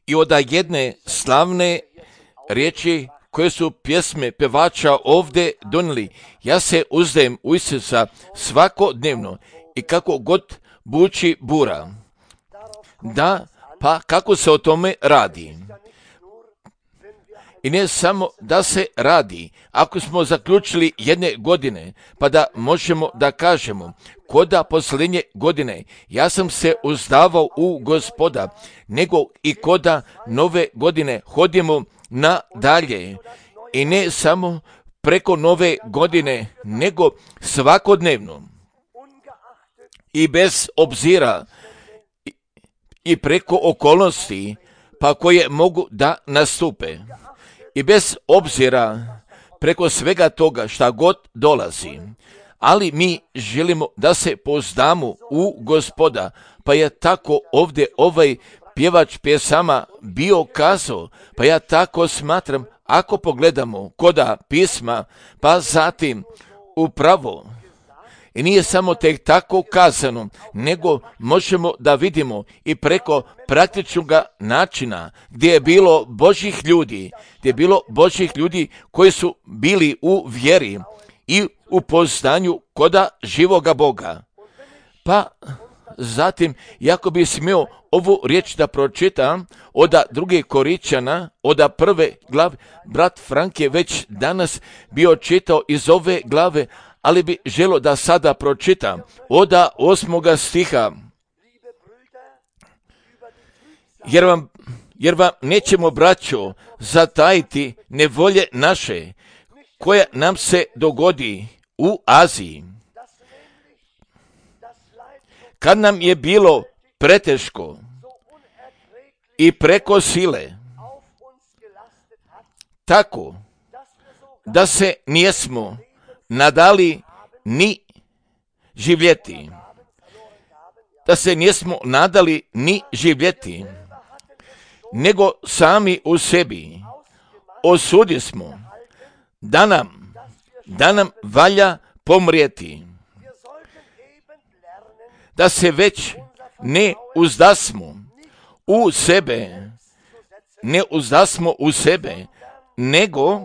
i od jedne slavne riječi koje su pjesme pevača ovdje donijeli. Ja se uzdajem u Isusa svakodnevno i kako god buči bura. Da, pa kako se o tome radi? I ne samo da se radi, ako smo zaključili jedne godine, pa da možemo da kažemo, koda posljednje godine ja sam se uzdavao u Gospoda, nego i koda nove godine hodimo nadalje. I ne samo preko nove godine, nego svakodnevno. I bez obzira i preko okolnosti, pa koje mogu da nastupe. I bez obzira preko svega toga šta god dolazi. Ali mi želimo da se pouzdamo u Gospoda, pa je tako ovdje ovaj pjevač pjesama bio kazao, pa ja tako smatram, ako pogledamo koda pisma, pa zatim upravo, i nije samo tek tako kazano, nego možemo da vidimo i preko praktičnog načina gdje je bilo Božjih ljudi koji su bili u vjeri i u poznanju koda živoga Boga. Pa zatim, jako bi smio ovu riječ da pročitam od 2. Korinćana, od 1. glave, brat Frank je već danas bio čitao iz ove glave, ali bi želio da sada pročitam od 8. stiha. Jer vam nećemo, braćo, zatajiti nevolje naše, koja nam se dogodi u Aziji. Kad nam je bilo preteško i preko sile, tako da se nijesmo nadali ni živjeti. Nego sami u sebi osudismo da nam valja pomrijeti. Da se već ne uzdasmo u sebe, nego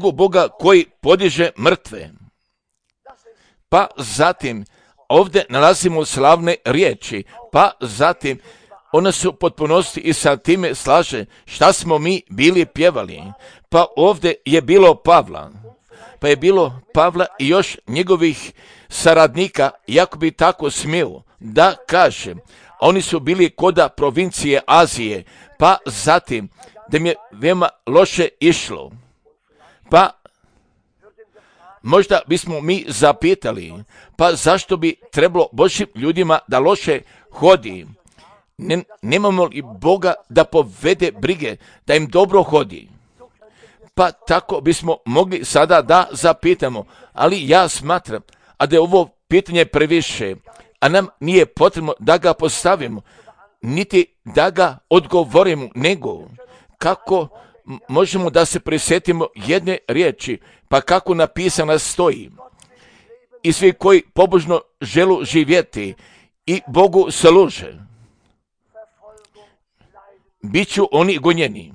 u Boga koji podiže mrtve. Pa zatim ovdje nalazimo slavne riječi, pa zatim ona se u potpunosti i sa time slaže šta smo mi bili pjevali. Pa ovdje je bilo Pavla i još njegovih saradnika, jako bi tako smio da kaže, oni su bili koda provincije Azije, pa zatim da mi je veoma loše išlo. Pa možda bismo mi zapitali, pa zašto bi trebalo Božjim ljudima da loše hodi? Nemamo li Boga da povede brige, da im dobro hodi? Pa tako bismo mogli sada da zapitamo, ali ja smatram, a da je ovo pitanje previše, a nam nije potrebno da ga postavimo, niti da ga odgovorimo, nego kako možemo da se prisjetimo jedne riječi, pa kako napisana stoji. I svi koji pobožno želu živjeti i Bogu služe, bit ću oni gonjeni.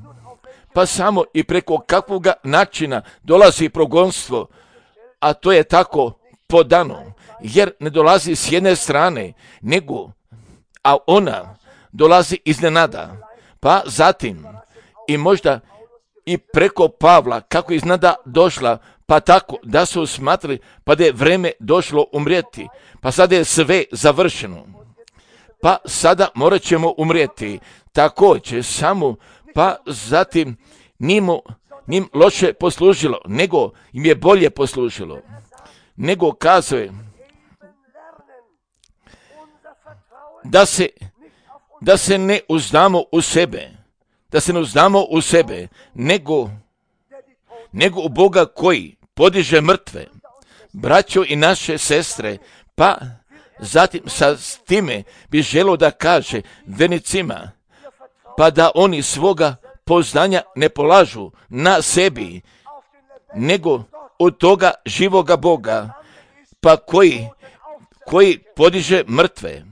Pa samo i preko kakvog načina dolazi progonstvo, a to je tako podano, jer ne dolazi s jedne strane, a ona dolazi iznenada. Pa zatim i možda i preko Pavla, kako iznenada došla, pa tako da su smatrali, pa da je vreme došlo umrijeti, pa sada je sve završeno. Pa sada morat ćemo umrijeti. Također samo, pa zatim njim loše poslužilo, nego im je bolje poslužilo. Nego kazuje da se ne uzdamo u sebe, nego u Boga koji podiže mrtve, braćo i naše sestre. Pa zatim sa time bi želio da kaže vernicima, pa da oni svoga poznanja ne polažu na sebi, nego od toga živoga Boga, pa koji koji podiže mrtve.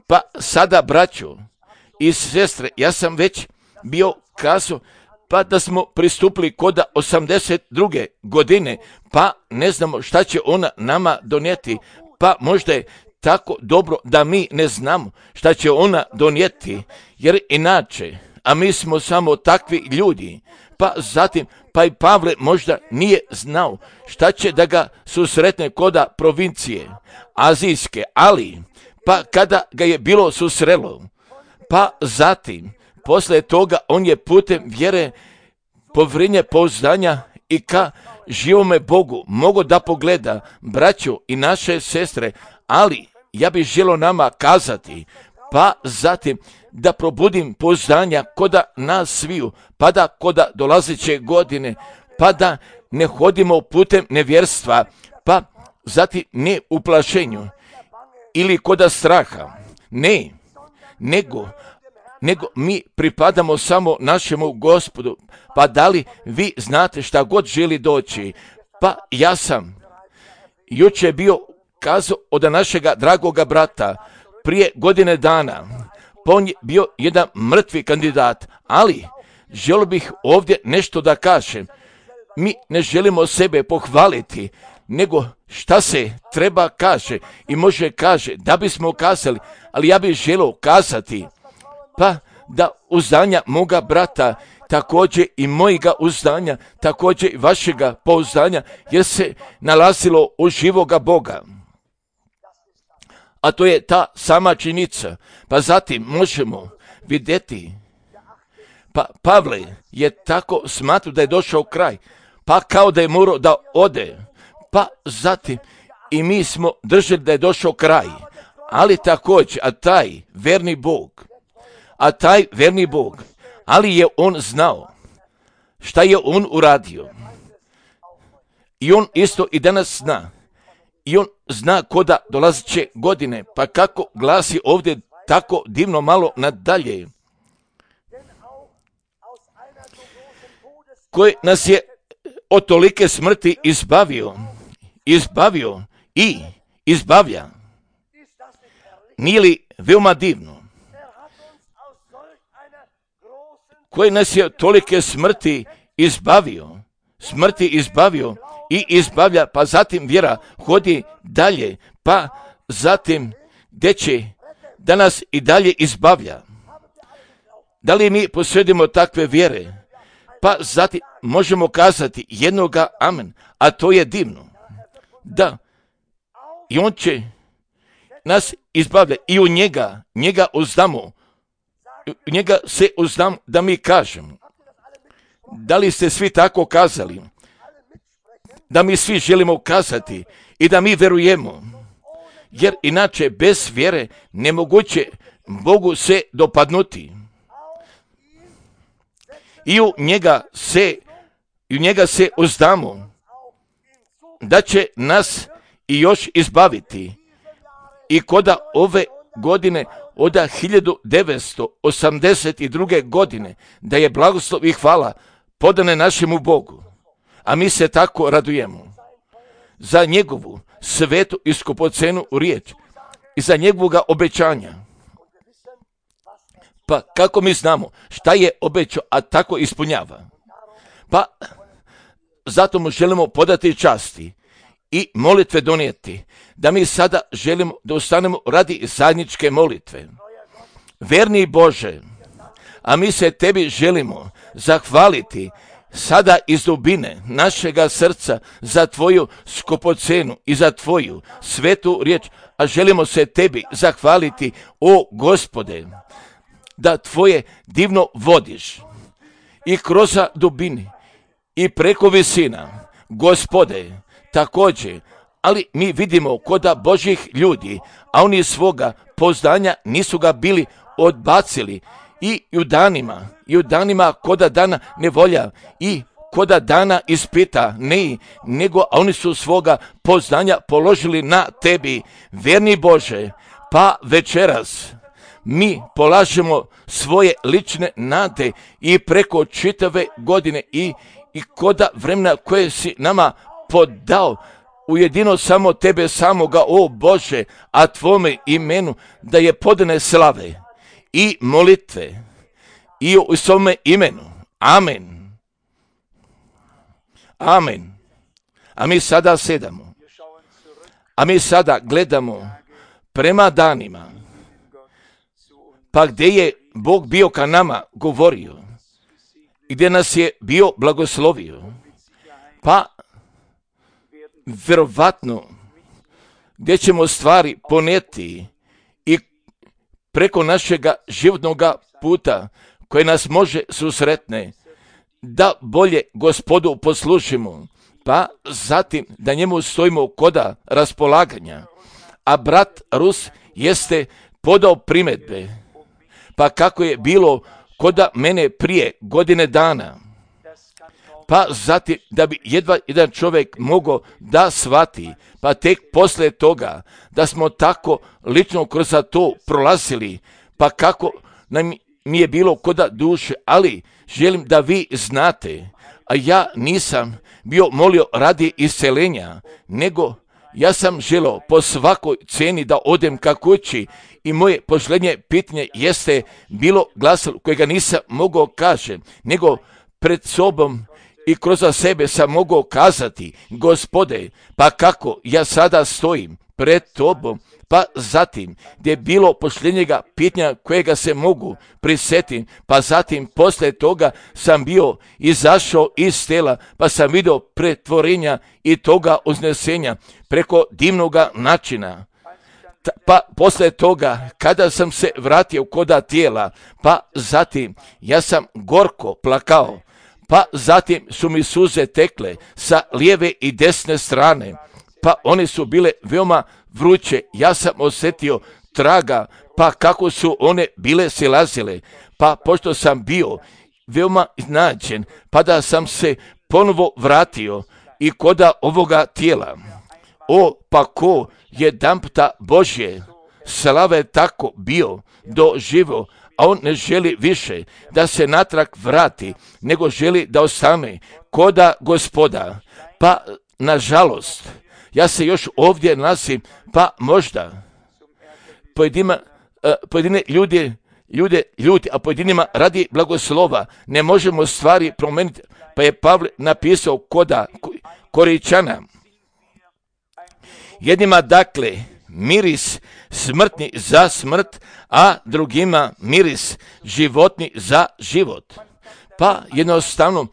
Pa sada, braćo i sestre, ja sam već bio kazao, pa da smo pristupili koda 82. godine, pa ne znamo šta će ona nama donijeti, pa možda je tako dobro da mi ne znamo šta će ona donijeti, jer inače, a mi smo samo takvi ljudi, pa zatim, pa i Pavle možda nije znao šta će da ga susretne koda provincije azijske, ali pa kada ga je bilo susrelo, pa zatim, poslije toga on je putem vjere, povrinje pouzdanja i ka živome Bogu mogo da pogleda braću i naše sestre, ali ja bih želio nama kazati, pa zatim da probudim pouzdanja koda nas sviju, pa da koda dolazeće godine, pa da ne hodimo putem nevjerstva, pa zatim ne u plašenju ili koda straha, ne, nego mi pripadamo samo našemu Gospodu. Pa da li vi znate šta god želi doći? Pa ja sam jučer bio kazao od našega dragoga brata prije godine dana, pa on je bio jedan mrtvi kandidat, ali želio bih ovdje nešto da kažem. Mi ne želimo sebe pohvaliti, nego šta se treba kaže i može kaže da bismo kazali, ali ja bih želio kazati, pa da uzdanja moga brata, također i mojega uzdanja, također i vašega pouzdanja, jer se nalazilo u živoga Boga. A to je ta sama činjenica. Pa zatim možemo vidjeti, pa Pavle je tako smatrao da je došao kraj, pa kao da je morao da ode, pa zatim i mi smo držali da je došao kraj, ali također, a taj verni Bog, ali je on znao šta je on uradio. I on isto i danas zna. I on zna koda dolazeće godine, pa kako glasi ovdje tako divno malo nadalje. Koji nas je od tolike smrti izbavio i izbavlja. Nije li veoma divno? Koji nas je tolike smrti izbavio i izbavlja, pa zatim vjera hodi dalje, pa zatim gdje će da nas i dalje izbavlja. Da li mi posjedimo takve vjere? Pa zatim možemo kazati jednoga amen, a to je divno. Da, i on će nas izbavlja i u njega uzdamo. Njega se uzdam da mi kažemo. Da li ste svi tako kazali? Da mi svi želimo kazati i da mi verujemo. Jer inače bez vjere nemoguće Bogu se dopadnuti. I u njega se uzdamo da će nas i još izbaviti. I koda ove godine od 1982. godine, da je blagoslov i hvala podane našemu Bogu, a mi se tako radujemo za njegovu svetu i skupocenu riječ i za njegovoga obećanja. Pa kako mi znamo šta je obećao, a tako ispunjava? Pa zato mu želimo podati časti i molitve donijeti, da mi sada želimo da ustanemo radi zajedničke molitve. Verni Bože, a mi se tebi želimo zahvaliti sada iz dubine našega srca za tvoju skupocenu i za tvoju svetu riječ, a želimo se tebi zahvaliti, o Gospode, da tvoje divno vodiš i kroz dubini i preko visina, Gospode, također, ali mi vidimo koda Božih ljudi, a oni svoga pouzdanja nisu ga bili odbacili i u danima koda dana nevolja i koda dana ispita, nego oni su svoga pouzdanja položili na tebi, verni Bože, pa večeras mi polažemo svoje lične nade i preko čitave godine i koda vremena koje si nama podao, ujedino samo tebe samoga, o Bože, a tvome imenu da je podane slave i molitve i u svome imenu. Amen. Amen. A mi sada sedamo. A mi sada gledamo prema danima, pa gdje je Bog bio ka nama govorio, gdje nas je bio blagoslovio, pa vjerovatno gdje ćemo stvari ponijeti i preko našega životnog puta koje nas može susretne, da bolje Gospodu poslušimo, pa zatim da njemu stojimo koda raspolaganja. A brat Rus jeste podao primjedbe, pa kako je bilo koda mene prije godine dana, pa zatim da bi jedva jedan čovjek mogao da shvati, pa tek poslije toga da smo tako lično kroz to prolazili, pa kako nam mi je bilo koda duše, ali želim da vi znate, a ja nisam bio molio radi iscelenja, nego ja sam želio po svakoj cijeni da odem ka kući i moje posljednje pitanje jeste bilo glasilo kojega nisam mogao kaže, nego pred sobom i kroz sebe sam mogao kazati, Gospode, pa kako ja sada stojim pred tobom, pa zatim gdje je bilo posljednjega pitanja kojega se mogu prisjetiti, pa zatim poslije toga sam bio izašao iz tela, pa sam vidio pretvorenja i toga uznesenja preko divnoga načina. Pa poslije toga, kada sam se vratio koda tijela, pa zatim ja sam gorko plakao, pa zatim su mi suze tekle sa lijeve i desne strane, pa one su bile veoma vruće, ja sam osjetio traga, pa kako su one bile silazile, pa pošto sam bio veoma iznenađen, pa da sam se ponovo vratio i koda ovoga tijela. O, pa ko jedanputa Božje slave tako bio doživo, a on ne želi više da se natrag vrati, nego želi da ostane koda Gospoda. Pa nažalost, ja se još ovdje nalazim, pa možda pojedine ljudi, a pojedinima radi blagoslova ne možemo stvari promijeniti, pa je Pavle napisao koda Koričana. Jednima dakle miris smrtni za smrt, a drugima miris životni za život. Pa jednostavno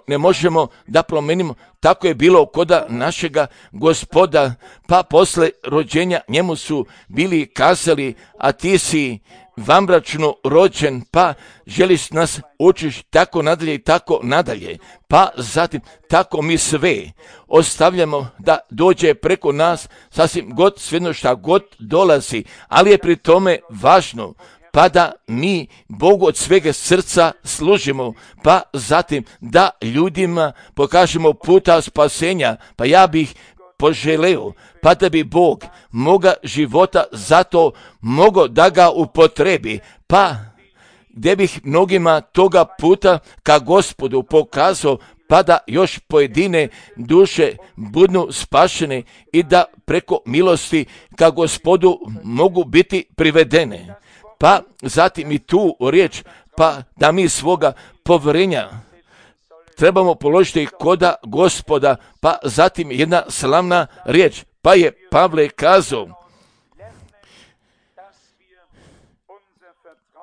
ne možemo da promenimo, tako je bilo koda našega Gospoda, pa posle rođenja njemu su bili kazali, a ti si vanbračno rođen, pa želiš nas učiš tako nadalje i tako nadalje, pa zatim tako mi sve ostavljamo da dođe preko nas sasvim god svejedno šta god dolazi, ali je pri tome važno pa da mi Bogu od svega srca služimo, pa zatim da ljudima pokažemo puta spasenja, pa ja bih poželeo, pa da bi Bog moga života zato mogao da ga upotrebi, pa gdje bih mnogima toga puta ka Gospodu pokazao, pa da još pojedine duše budu spašene i da preko milosti ka Gospodu mogu biti privedene. Pa zatim i tu riječ, pa da mi svoga povjerenja trebamo položiti koda Gospoda, pa zatim jedna slavna riječ, pa je Pavle kazao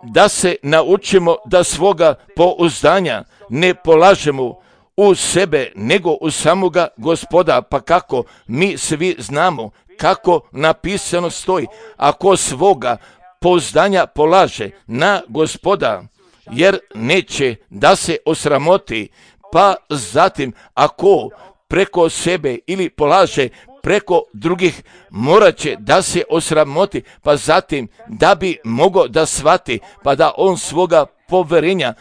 da se naučimo da svoga pouzdanja ne polažemo u sebe, nego u samoga Gospoda, pa kako mi svi znamo kako napisano stoji, ako svoga pouzdanja polaže na Gospoda, jer neće da se osramoti, pa zatim ako preko sebe ili polaže preko drugih, morat će da se osramoti, pa zatim da bi mogao da shvati, pa da on svoga povjerenja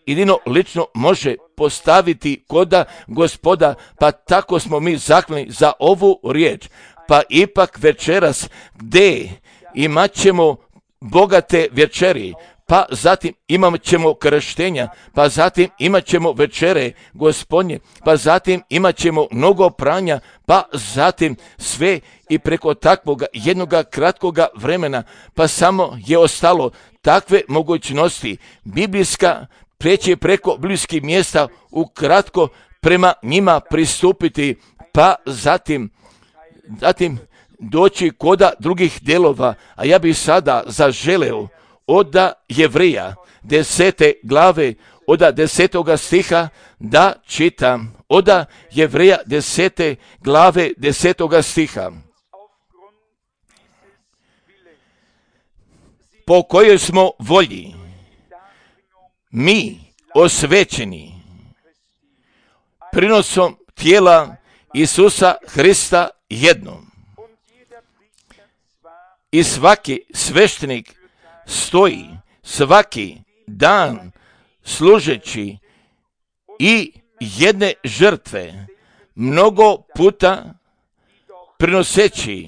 jedino lično može postaviti koda Gospoda, pa tako smo mi zahvalni za ovu riječ. Pa ipak večeras gdje imat ćemo bogate večeri, pa zatim imat ćemo krštenja, pa zatim imat ćemo večere Gospodnje, pa zatim imat ćemo mnogo pranja, pa zatim sve i preko takvoga jednoga kratkoga vremena, pa samo je ostalo takve mogućnosti biblijska preći preko biblijskih mjesta ukratko prema njima pristupiti, pa zatim doći koda drugih delova. A ja bih sada zaželeo od Jevreja 10. glave, od 10. stiha da čitam. Od Jevreja 10. glave 10. stiha. Po kojoj smo volji mi osvećeni prinosom tijela Isusa Hrista jednom. I svaki sveštenik stoji svaki dan služeći i jedne žrtve mnogo puta prinoseći,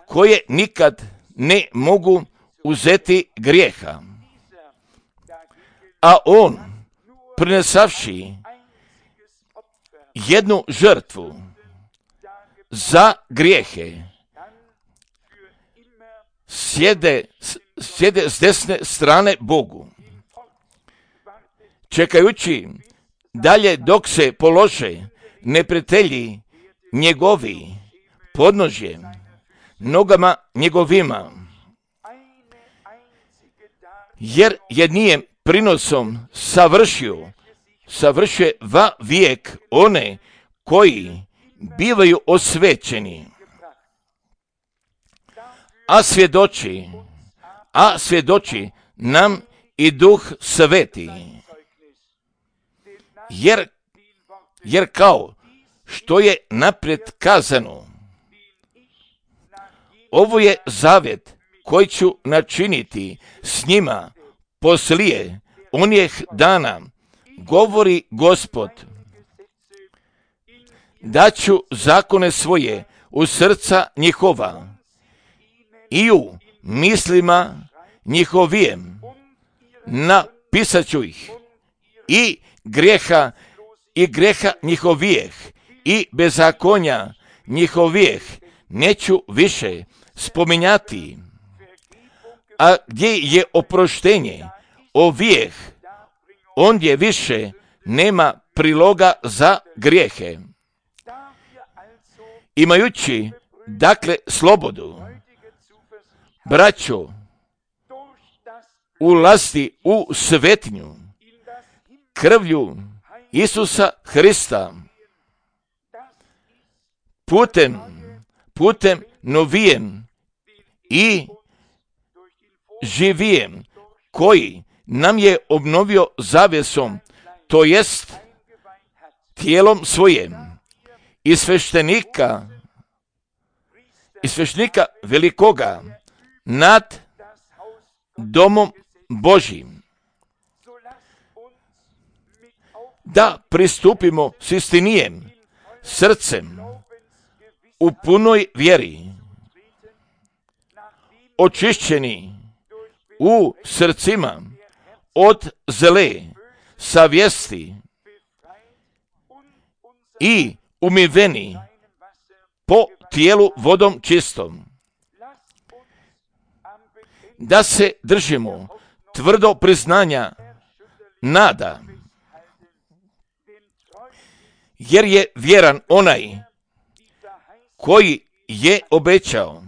koje nikad ne mogu uzeti grijeha. A on, prinesavši jednu žrtvu za grijehe, sjede s desne strane Bogu, čekajući dalje dok se polože neprijatelji njegovi podnožje nogama njegovima, jer jednijem prinosom savršuje va vijek one koji bivaju osvećeni. A svjedoči nam i Duh Sveti, jer kao što je naprijed kazano, ovo je zavjet koji ću načiniti s njima poslije onih dana, govori Gospod, da ću zakone svoje u srca njihova i u mislima njihovijem napisat ću ih, i greha njihovijeh i bezakonja njihovijeh neću više spominjati. A gdje je oproštenje ovijeh, ondje više nema priloga za grijehe. Imajući dakle slobodu, braćo, ulasti u svetinju krvlju Isusa Hrista, putem novijem i živijem, koji nam je obnovio zavjesom, to jest tijelom svojim, i sveštenika velikoga nad domom Božjim, da pristupimo s istinijem srcem u punoj vjeri, očišćeni u srcima od zle savjesti i umiveni po tijelu vodom čistom, da se držimo tvrdo priznanja nada, jer je vjeran onaj koji je obećao,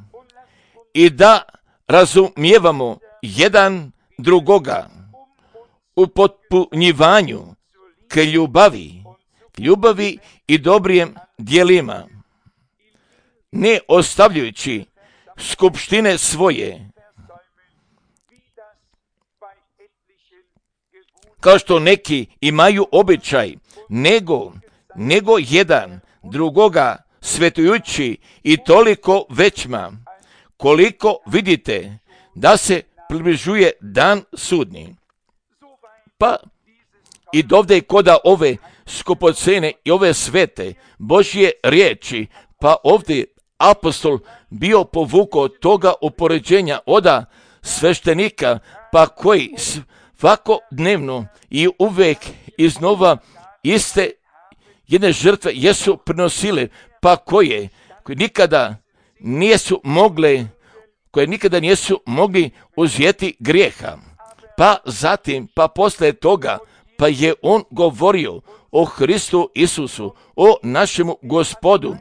i da razumijevamo jedan drugoga u potpunjivanju k ljubavi i dobrijem djelima, ne ostavljajući skupštine svoje, kao što neki imaju običaj, nego jedan drugoga svetujući, i toliko većma koliko vidite da se približuje dan sudnji. Pa i dovde koda ove skupocene i ove svete Božje riječi, pa ovdje apostol bio povukao toga upoređenja oda sveštenika pa koji svakodnevno i uvijek iznova iste jedne žrtve jesu prinosile, pa koje nikada nisu mogli uzeti grijeha. Pa zatim, pa poslije toga, pa je on govorio o Hristu Isusu, o našemu Gospodu,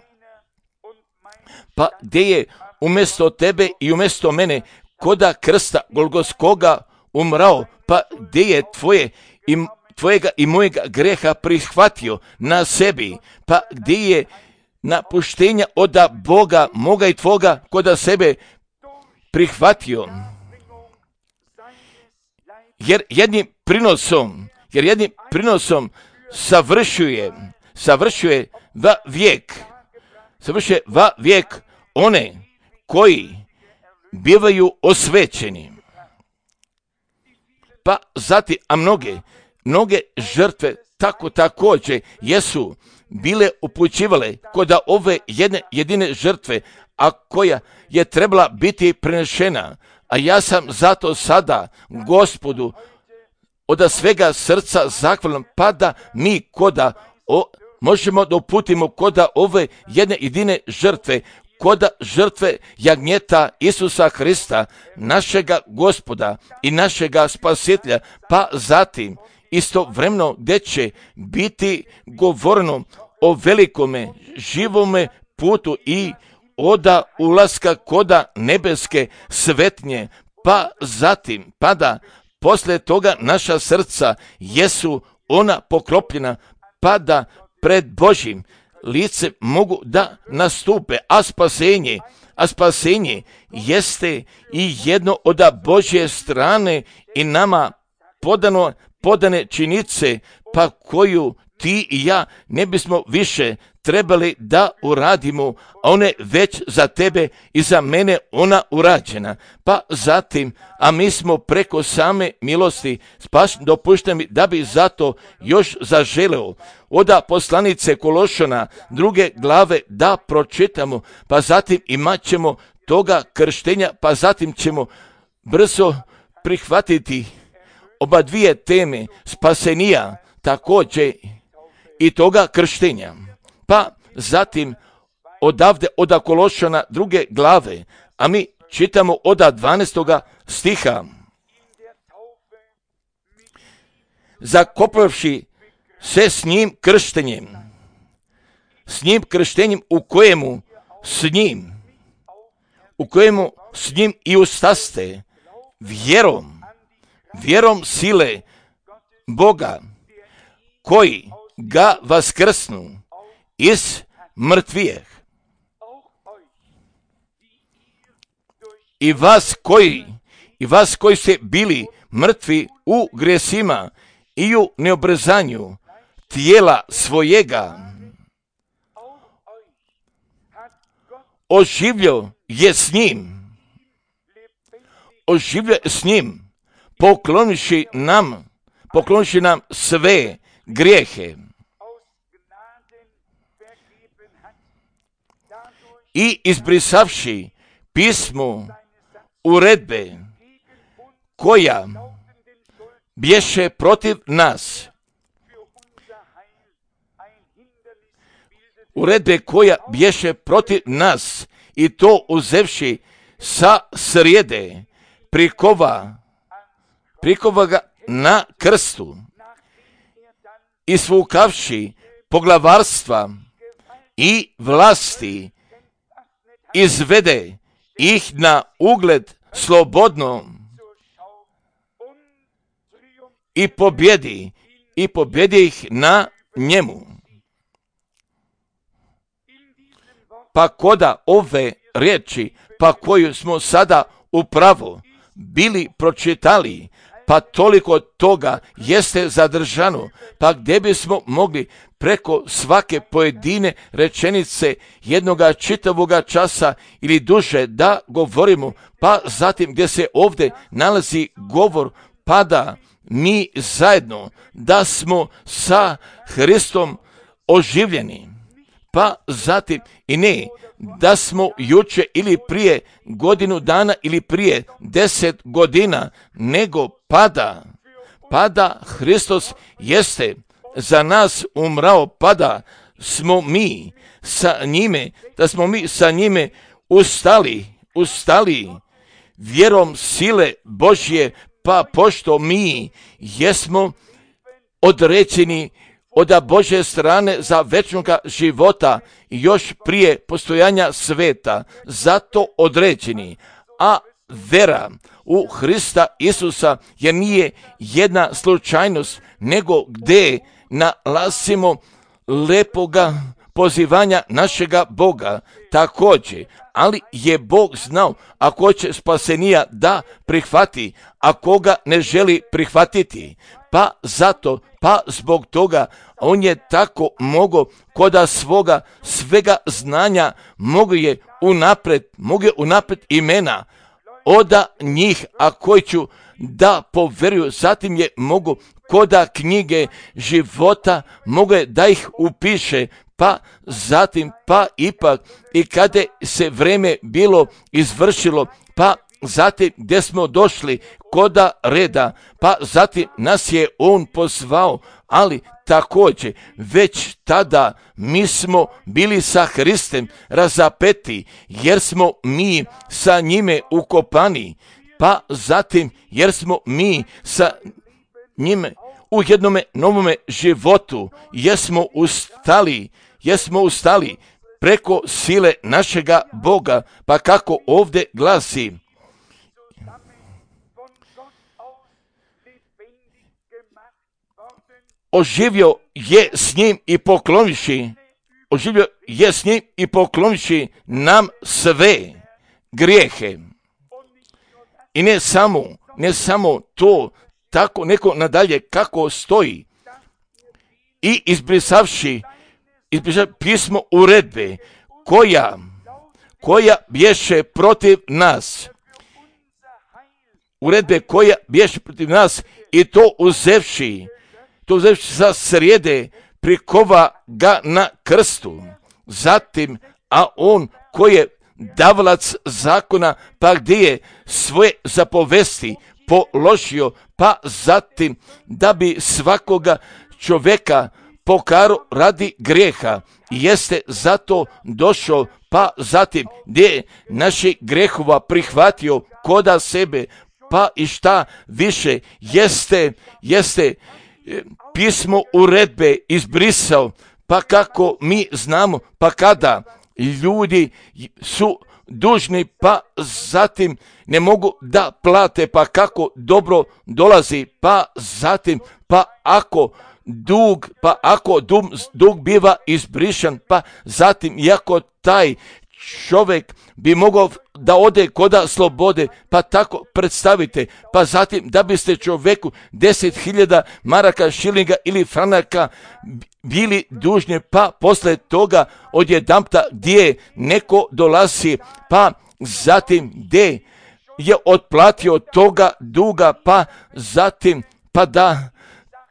pa gdje je umjesto tebe i umjesto mene koda krsta Golgotskoga umrao, pa gdje je tvojega i mojega greha prihvatio na sebi, pa gdje je napuštenja od Boga moga i tvoga koda sebe prihvatio. Jer jednim prinosom savršuje va vijek one koji bivaju osvećeni. Pa zatim, a mnoge žrtve također jesu bile upućivale kod ove jedine žrtve, a koja je trebala biti prenešena. A ja sam zato sada Gospodu od svega srca zahvalan, pa da mi možemo da uputimo koda ove jedine žrtve, koda žrtve jagnjeta Isusa Hrista, našega Gospoda i našega Spasitelja, pa zatim istovremeno gdje će biti govoreno o velikome živome putu i oda ulaska koda nebeske svetnje, pa zatim, pa da poslije toga naša srca jesu ona pokropljena, pa da pred Božjim lice mogu da nastupe, a spasenje jeste i jedno od Božje strane i nama podane činice, pa koju ti i ja ne bismo više trebali da uradimo, a one već za tebe i za mene ona urađena. Pa zatim, a mi smo preko same milosti dopušteni da bi zato još zaželeo od poslanice Kološana 2. glave da pročitamo, pa zatim imat ćemo toga krštenja, pa zatim ćemo brzo prihvatiti oba dvije teme, spasenija također i toga krštenja. Pa zatim odavde od Kološana 2. glave, a mi čitamo od 12. stiha. Zakopavši se s njim krštenjem u kojemu s njim i ustaste vjerom sile Boga, koji ga vaskrsnu iz mrtvijeh. I vas koji ste bili mrtvi u grijesima i u neobrezanju tijela svojega, oživio je s njim, poklonivši nam sve grijehe i izbrisavši pismo uredbe koja bješe protiv nas, i to uzevši sa srijede, prikova ga na krstu, i svukavši poglavarstva i vlasti, izvede ih na ugled slobodno i pobjedi ih na njemu. Pa koda ove riječi, pa koju smo sada upravo bili pročitali, pa toliko toga jeste zadržano, pa gdje bismo mogli preko svake pojedine rečenice jednoga čitavoga časa ili duže da govorimo, pa zatim gdje se ovdje nalazi govor, pa da mi zajedno da smo sa Hristom oživljeni, pa zatim i ne da smo juče ili prije godinu dana ili prije 10 godina, nego pada Hristos jeste za nas umrao, pada smo mi sa njime, da smo mi sa njime ustali vjerom sile Božje, pa pošto mi jesmo određeni od Božje strane za večnoga života još prije postojanja sveta, zato određeni, a vera u Hrista Isusa jer nije jedna slučajnost, nego gdje nalazimo lepoga pozivanja našega Boga također, ali je Bog znao ako će spasenija da prihvati, a koga ne želi prihvatiti, pa zato, pa zbog toga on je tako mogao koda svoga svega znanja mogu je unaprijed imena oda njih, a koji ću da poveruju, zatim je mogu koda knjige života mogu je da ih upiše, pa zatim, pa ipak i kada se vreme bilo izvršilo, pa zatim gdje smo došli koda reda, pa zatim nas je on pozvao, ali također već tada mi smo bili sa Hristem razapeti, jer smo mi sa njime ukopani, pa zatim jer smo mi sa njime u jednome novome životu, jesmo ustali preko sile našega Boga, pa kako ovdje glasi: oživio je s njim i poklonivši nam sve grijehe. I ne samo to, tako neko nadalje kako stoji, i izbrisavši pismo uredbe koja bješe protiv nas, i to uzevši sa srijede prikova ga na krstu. Zatim, a on koji je davalac zakona, pa gdje je svoje zapovesti položio, pa zatim da bi svakoga čovjeka pokaro radi grijeha, jeste zato došao, pa zatim gdje je naših grehova prihvatio koda sebe, pa i šta više jeste pismo uredbe izbrisao, pa kako mi znamo, pa kada ljudi su dužni, pa zatim ne mogu da plate, pa kako dobro dolazi, pa zatim, pa ako dug biva izbrišan, pa zatim iako taj čovjek bi mogao da ode koda slobode, pa tako predstavite, pa zatim da biste čovjeku 10.000 maraka, šilinga ili franaka bili dužni, pa posle toga odjedanpta gdje neko dolazi, pa zatim gdje je otplatio toga duga, pa zatim pa da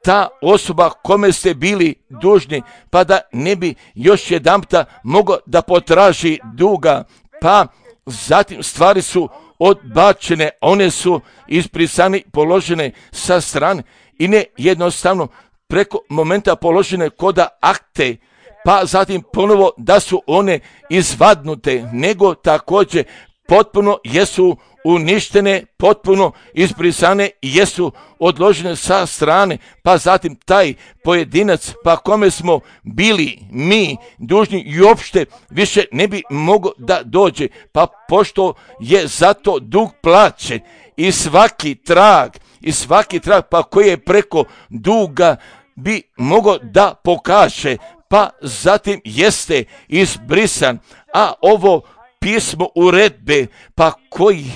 ta osoba kome ste bili dužni, pa da ne bi još jedanpta mogao da potraži duga, pa zatim stvari su odbačene, one su izbrisane, položene sa strane i ne jednostavno preko momenta položene koda akte, pa zatim ponovo da su one izvadnute, nego također potpuno jesu uništene, potpuno izbrisane i jesu odložene sa strane, pa zatim taj pojedinac, pa kome smo bili mi dužni i uopšte više ne bi mogao da dođe, pa pošto je zato dug plaćen i svaki trag, pa koji je preko duga bi mogao da pokaže, pa zatim jeste izbrisan, a ovo pismo uredbe, pa koji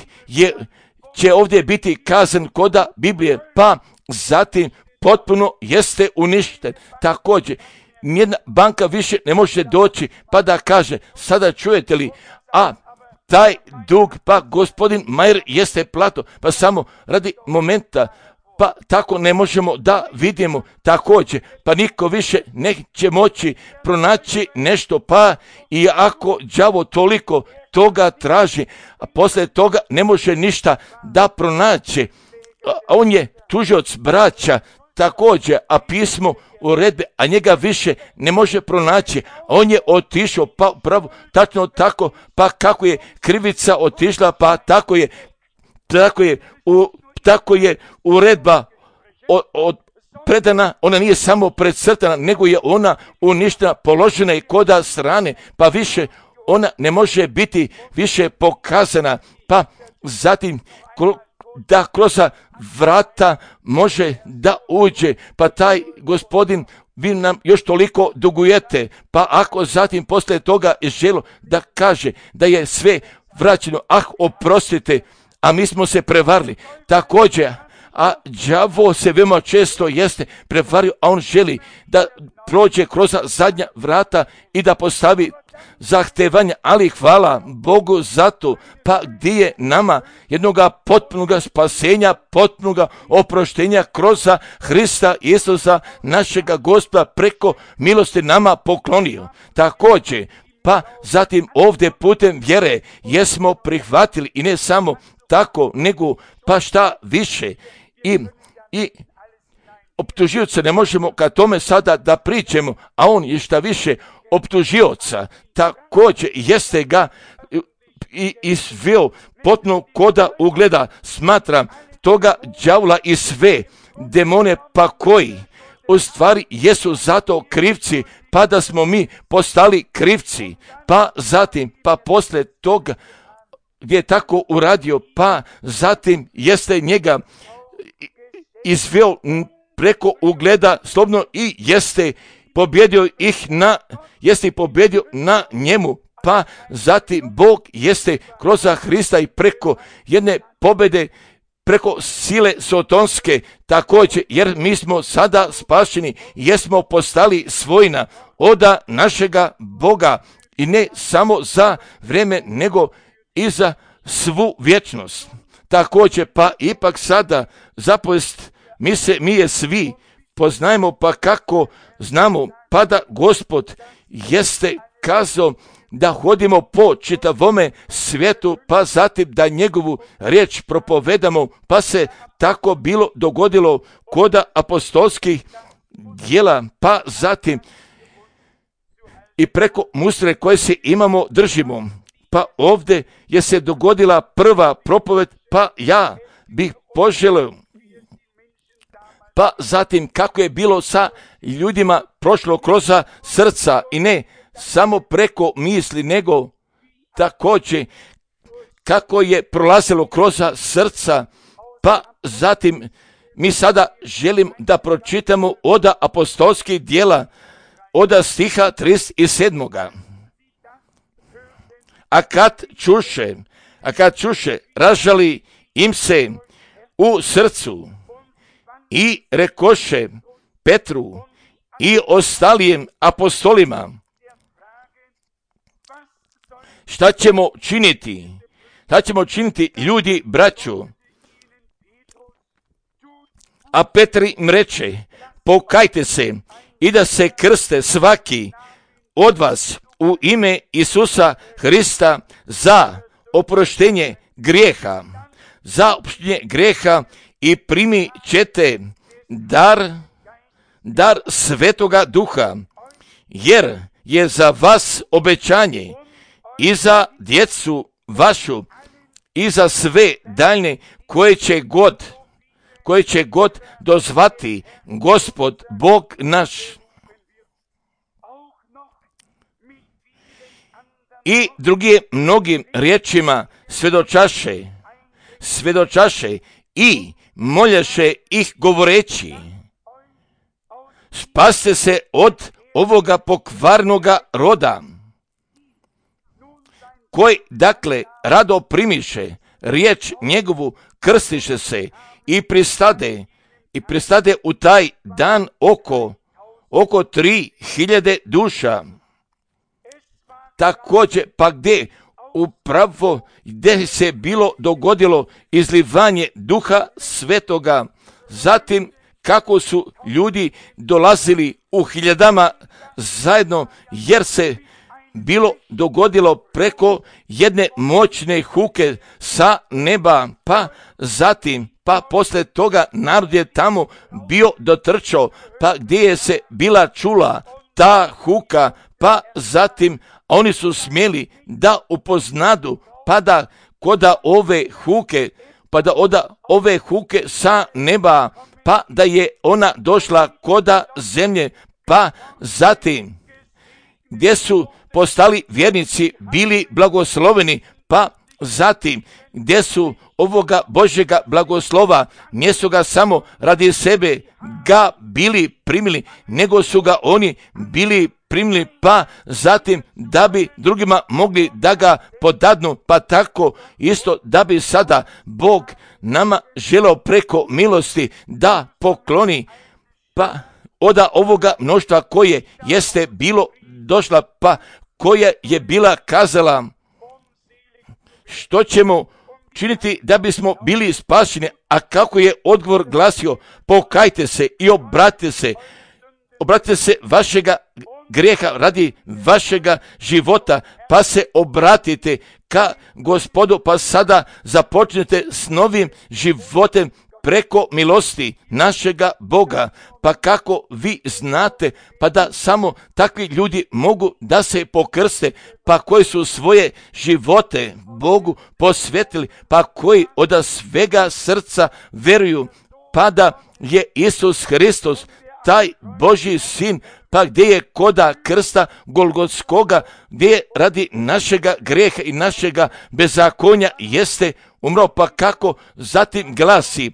će ovdje biti kazan koda Biblije, pa zatim potpuno jeste uništen. Također, nijedna banka više ne može doći pa da kaže, sada čujete li, a taj dug, pa gospodin Majer jeste plato, pa samo radi momenta, pa tako ne možemo da vidimo također, pa niko više neće moći pronaći nešto, pa i ako đavo toliko toga traži, a poslije toga ne može ništa da pronaći. On je tužioc braća također, a pismo uredbe, a njega više ne može pronaći. On je otišao, pa pravo, tačno tako, pa kako je krivica otišla, pa tako je uredba predana, ona nije samo precrtana, nego je ona uništena, položena i koda strane, pa više ona ne može biti više pokazana, pa zatim da kroz vrata može da uđe, pa taj gospodin, vi nam još toliko dugujete, pa ako zatim poslije toga je želo da kaže da je sve vraćeno, oprostite, a mi smo se prevarili. Također, a đavo se veoma često jeste prevario, a on želi da prođe kroz zadnja vrata i da postavi zahtevanja, ali hvala Bogu za to, pa gdje je nama jednoga potpunoga spasenja, potpunoga oproštenja kroz Hrista Isusa, našega Gospoda, preko milosti nama poklonio. Također, pa zatim ovdje putem vjere jesmo prihvatili i ne samo tako, nego pa šta više i optužioca ne možemo ka tome sada da pričamo, a on je šta više optužioca, također jeste ga i izveo potpuno koda ugleda, smatram toga đavla i sve demone, pa koji u stvari jesu zato krivci, pa da smo mi postali krivci, pa zatim, pa poslije toga gdje je tako uradio, pa zatim jeste njega izveo preko ugleda slobodno i jeste pobjedio na njemu, pa zatim Bog jeste kroz Hrista i preko jedne pobjede, preko sile sotonske također, jer mi smo sada spašeni, jesmo postali svojina oda našega Boga i ne samo za vrijeme, nego i za svu vječnost. Također, pa ipak sada zapovijest mi je svi poznajemo, pa kako znamo, pa da Gospod jeste kazao da hodimo po čitavome svijetu, pa zatim da njegovu riječ propovedamo, pa se tako bilo dogodilo koda apostolskih djela, pa zatim i preko mustre koje se imamo držimo. Pa ovdje je se dogodila prva propoved, pa ja bih poželio, pa zatim kako je bilo sa ljudima prošlo kroz srca i ne samo preko misli, nego također kako je prolazilo kroz srca, pa zatim mi sada želim da pročitamo od apostolskih djela, od stiha 37. A kad čuše, ražali im se u srcu i rekoše Petru i ostalijim apostolima, šta ćemo činiti? Šta ćemo činiti, ljudi, braćo? A Petar im reče, pokajte se i da se krste svaki od vas u ime Isusa Hrista za oproštenje grijeha. Za oproštenje grijeha i primit ćete dar Svetoga Duha, jer je za vas obećanje i za djecu vašu i za sve daljne koje će god dozvati Gospod Bog naš. I drugi mnogim riječima svedočaše i moljaše ih govoreći, spaste se od ovoga pokvarnoga roda, koji dakle rado primiše riječ njegovu, krstiše se i pristade u taj dan oko 3.000 duša. Također, pa gdje se bilo dogodilo izlivanje Duha Svetoga zatim kako su ljudi dolazili u hiljadama zajedno, jer se bilo dogodilo preko jedne moćne huke sa neba, pa zatim, pa posle toga narod je tamo bio dotrčao, pa gdje je se bila čula ta huka, pa zatim oni su smjeli da upoznadu, pa da koda ove huke, pa da oda ove huke sa neba, pa da je ona došla koda zemlje, pa zatim gdje su postali vjernici bili blagosloveni, pa zatim gdje su ovoga Božjega blagoslova, nisu ga samo radi sebe ga bili primili, nego su ga oni bili primili, pa zatim da bi drugima mogli da ga podadnu, pa tako isto da bi sada Bog nama želeo preko milosti da pokloni, pa oda ovoga mnoštva koje jeste bilo došla, pa koja je bila kazala što ćemo činiti da bismo bili spašeni, a kako je odgovor glasio, pokajte se i obratite se vašega grijeha radi vašega života, pa se obratite ka Gospodu, pa sada započnete s novim životem preko milosti našega Boga, pa kako vi znate, pa da samo takvi ljudi mogu da se pokrste, pa koji su svoje živote Bogu posvetili, pa koji od svega srca veruju, pa da je Isus Hristos taj Božji sin, pa gdje je koda krsta Golgotskoga, gdje je radi našega grijeha i našega bezakonja jeste umro, pa kako zatim glasi,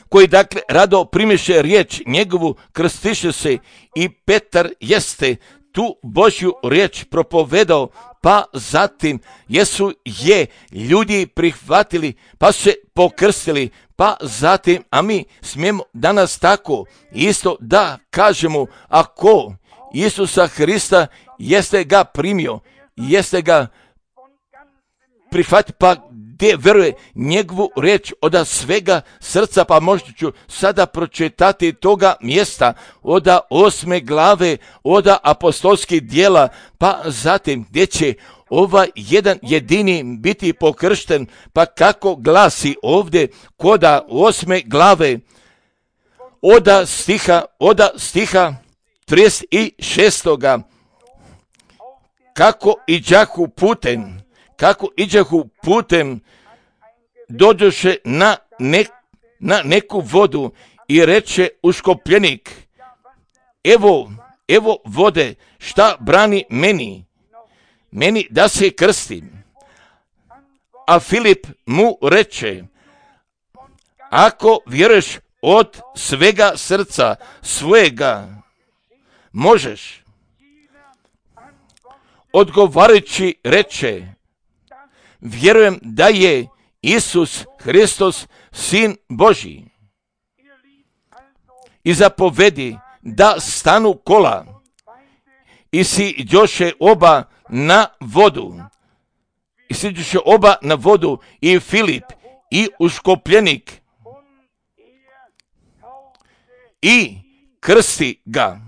koji dakle rado primiše riječ njegovu, krstiše se, i Petar jeste tu Božju riječ propovedao, pa zatim jesu je ljudi prihvatili, pa se pokrstili, pa zatim, a mi smijemo danas tako isto da kažemo, ako Isusa Hrista jeste ga primio, jeste ga prihvatio, pa gdje veruje njegovu riječ od svega srca, pa možda ću sada pročitati toga mjesta od 8. glave od apostolskih djela, pa zatim gdje će jedan jedini biti pokršten, pa kako glasi ovdje koda 8. glave od stiha 36. Kako iđahu putem, dođoše na neku vodu i reče uškopljenik, evo vode, šta brani meni da se krstim. A Filip mu reče, ako vjeruješ od svega srca svojega, možeš. Odgovarajući reče, vjerujem da je Isus Hristos sin Božji. I zapovedi da stanu kola i siđoše oba na vodu. I Filip i uškopljenik i krsti ga.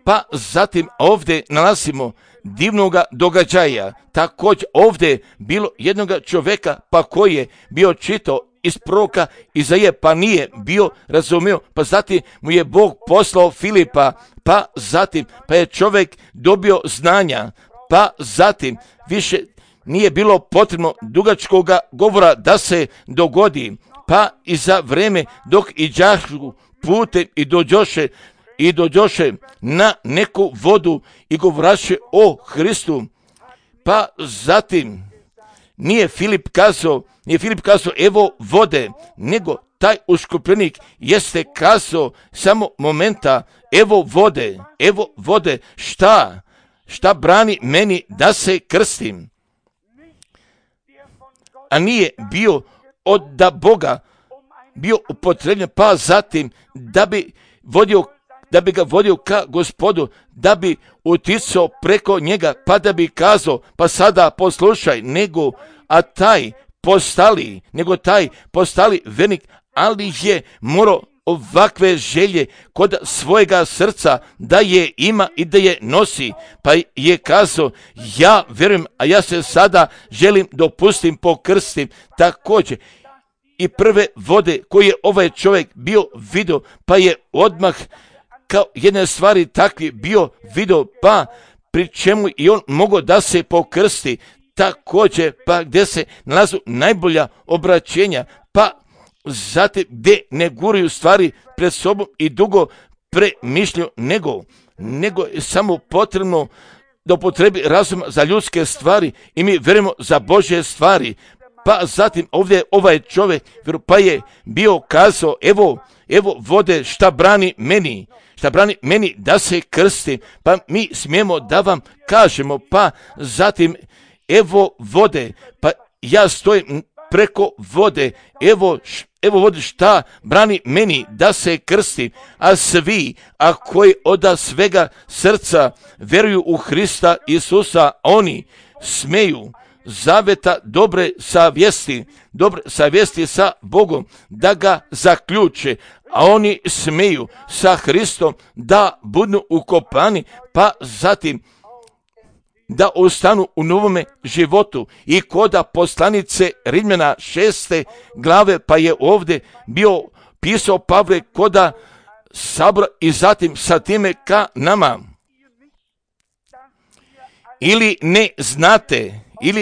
Pa zatim ovdje nalazimo divnoga događaja. Također ovdje bilo jednog čovjeka, pa koji je bio čitao iz proroka Izaije, pa nije bio razumio, pa zatim mu je Bog poslao Filipa, pa zatim pa je čovjek dobio znanja, pa zatim više nije bilo potrebno dugačkoga govora da se dogodi, pa i za vrijeme dok iđašu putem i dođoše na neku vodu i govoraše o Hristu, pa zatim nije Filip kazao evo vode, nego taj uškopljenik jeste kazao samo momenta, evo vode, šta brani meni da se krstim. A nije bio od da Boga bio upotrebljen, pa zatim da bi ga vodio ka Gospodu, da bi uticao preko njega, pa da bi kazao, pa sada poslušaj, nego taj postali vernik, ali je morao ovakve želje kod svojega srca da je ima i da je nosi, pa je kazao, ja vjerujem, a ja se sada želim dopustim pokrstim također. I prve vode koje je ovaj čovjek bio vidio, pa je odmah kao jedne stvari takvi bio vidio, pa pri čemu i on mogao da se pokrsti također, pa gdje se nalazu najbolja obraćenja, pa zatim gdje ne guraju stvari pred sobom i dugo premišljaju, nego je samo potrebno da upotrebi razum za ljudske stvari i mi vjerujemo za Božje stvari. Pa zatim ovdje ovaj čovjek pa je bio kazao, evo vode šta brani meni da se krstim, pa mi smijemo da vam kažemo, pa zatim evo vode, pa ja stojim preko vode, evo vode šta brani meni da se krstim, a svi, a koji od svega srca vjeruju u Hrista Isusa, oni smeju zaveta dobre savjesti sa Bogom da ga zaključe, a oni smeju sa Hristom da budu ukopani, pa zatim da ostanu u novome životu. I koda poslanice Rimljana 6. glave, pa je ovdje bio pisao Pavle koda sabora i zatim sa time ka nama. Ili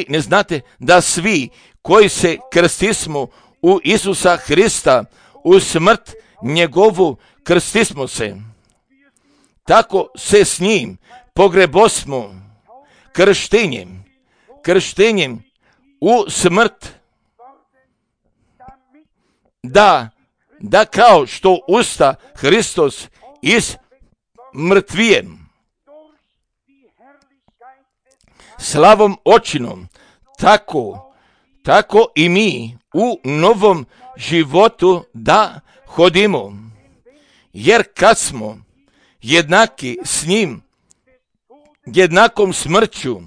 ne znate da svi koji se krstismo u Isusa Hrista, u smrt njegovu krstismo se. Tako se s njim pogrebosmo krštenjem u smrt, da kao što usta Hristos iz mrtvijem slavom očinom, tako i mi u novom životu da hodimo. Jer kad smo jednaki s njim, jednakom smrću,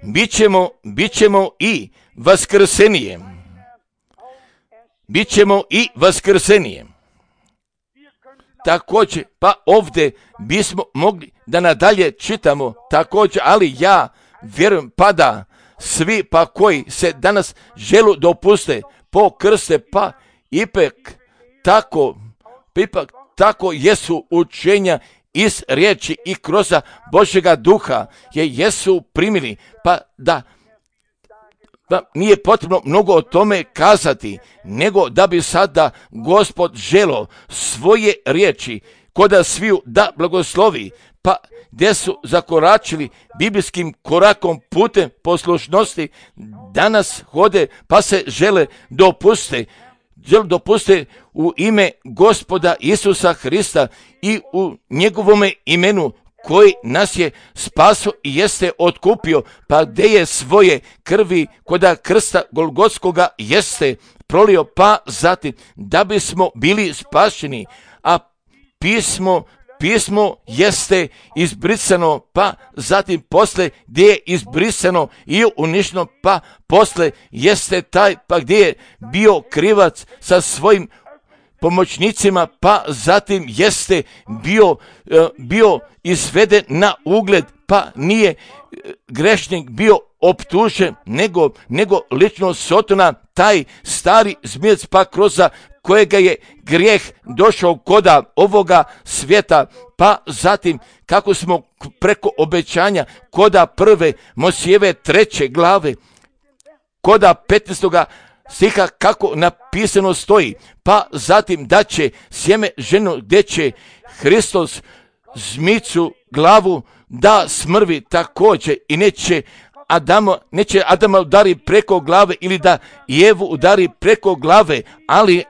bit ćemo i vaskrsenije. Također, pa ovdje bismo mogli da nadalje čitamo također, ali ja vjerujem pa da svi pa koji se danas želu dopuste pokrste, pa ipak tako jesu učenja iz riječi i kroz Božjega duha jesu primili, pa da nije potrebno mnogo o tome kazati, nego da bi sada Gospod želo svoje riječi koda sviju da blagoslovi, pa gdje su zakoračili biblijskim korakom putem poslušnosti, danas hode pa se žele dopuste u ime Gospoda Isusa Hrista i u njegovome imenu koji nas je spaso i jeste otkupio, pa gdje je svoje krvi koda krsta Golgotskoga jeste prolio, pa zatim da bismo bili spašeni, a pismo jeste izbrisano, pa zatim posle gdje je izbrisano i uništeno, pa posle jeste taj, pa gdje je bio krivac sa svojim pomoćnicima, pa zatim jeste bio izveden na ugled, pa nije grešnik bio optužen, nego lično Sotona, taj stari zmijec, pa kroz kojega je grijeh došao koda ovoga svijeta, pa zatim kako smo preko obećanja koda prve Mojsijeve 3. glave, koda 15. stiha kako napisano stoji, pa zatim da će sjeme ženu gdje će Hristos zmicu glavu da smrvi također i neće Adama udari preko glave ili da Jevu udari preko glave,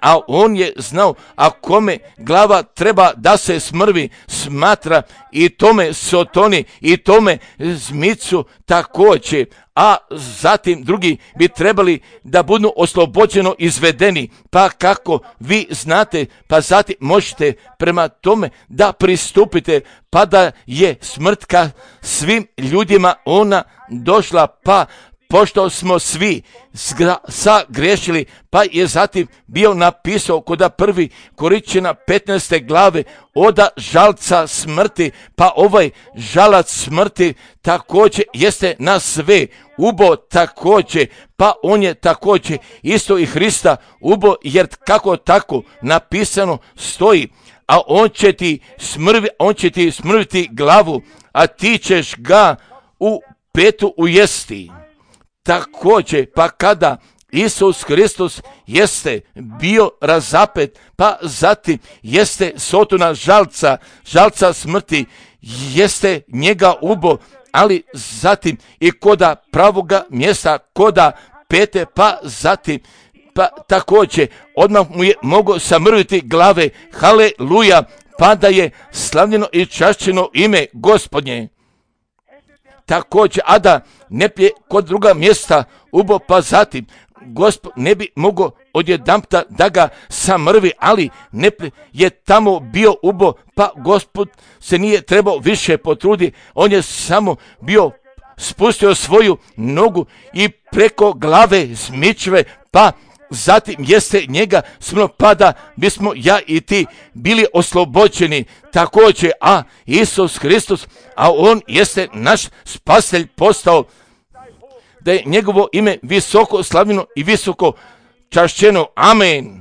a on je znao, a kome glava treba da se smrvi, smatra i tome Sotoni i tome zmicu također, a zatim drugi bi trebali da budu oslobođeno izvedeni, pa kako vi znate, pa zatim možete prema tome da pristupite, pa da je smrt ka svim ljudima ona došla, pa pošto smo svi sagrešili, pa je zatim bio napisao kod prvi Korinćana 15. glave oda žalca smrti, pa ovaj žalac smrti također jeste na sve ubo također, pa on je također isto i Hrista ubo, jer kako tako napisano stoji, a on će ti smrviti glavu, a ti ćeš ga u petu ujesti. Također, pa kada Isus Hristos jeste bio razapet, pa zatim jeste Sotona žalca smrti, jeste njega ubo, ali zatim i koda pravoga mjesta, koda pete, pa zatim pa također odmah mu je mogao samrviti glave, haleluja, pa da je slavljeno i čašćeno ime Gospodnje. Također, a da ne pije kod druga mjesta ubo, pa zatim Gospod ne bi mogao odjedanputa da ga samrvi, ali ne je tamo bio ubo, pa Gospod se nije trebao više potruditi, on je samo bio spustio svoju nogu i preko glave zmičve, pa zatim jeste njega smrlo, pa da bismo ja i ti bili oslobođeni također, a Isus Hristos, a on jeste naš spasitelj postao, da je njegovo ime visoko slavljeno i visoko čašćeno. Amen.